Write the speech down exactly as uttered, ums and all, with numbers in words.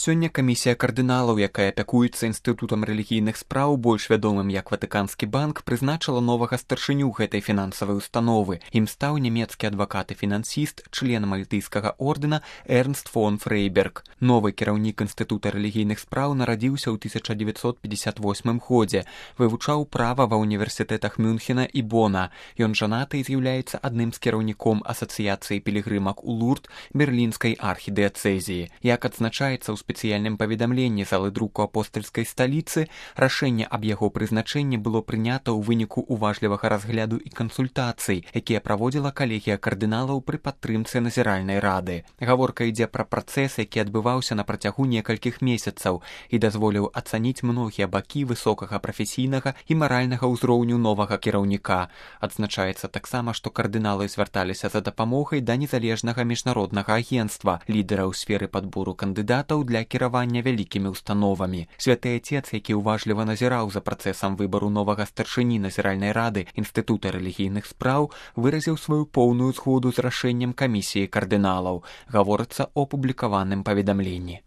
Сёння камісія кардыналаў, якая апякуецца інстытутам рэлігійных спраў, больш вядомым як Ватыканскі банк, прызначыла новага старшыню гэтай фінансавай установы. Ім стаў нямецкі адвакат і фінансіст, член мальтыйскага ордэна Эрнст фон Фрейберг. Новы кіраўнік інстытута рэлігійных спраў нарадзіўся ў тысяча дзевяцьсот пятьдесят восьмым годзе, вывучаў права ва ўніверсітэтах Мюнхена і Бона. Ён жанаты і з'яўляецца адным з кіраўніком асацыяцыі пілігрымак у Лурд берлінскай архідыяцэзіі. Як адзначаецца ў спецыяльным паведамленні залы друку апостальскай сталіцы, рашэнне аб яго прызначэнні было прынята ў выніку уважлівага разгляду і кансультацый, якія праводзіла калегія кардыналаў пры падтрымцы назіральнай рады. Гаворка ідзе пра працэс, які адбываўся на працягу некалькіх месяцаў і дазволіў ацаніць многія бакі высокага прафесійнага і маральнага ўзроўню новага кіраўніка. Адзначаецца таксама, што кардыналы звярталіся за дапамогай да незалежнага міжнароднага агенцтва, лідара ў сферы падбору кандыдатаў для кіравання вялікімі установамі. Святы Отец, які уважліва назіраў за працэсам выбару новага старшыні назіральнай рады інстытута рэлігійных спраў, выразіў сваю поўную згоду з рашэннем камісіі кардыналаў. Гаворыцца ў апублікаваным паведамленні.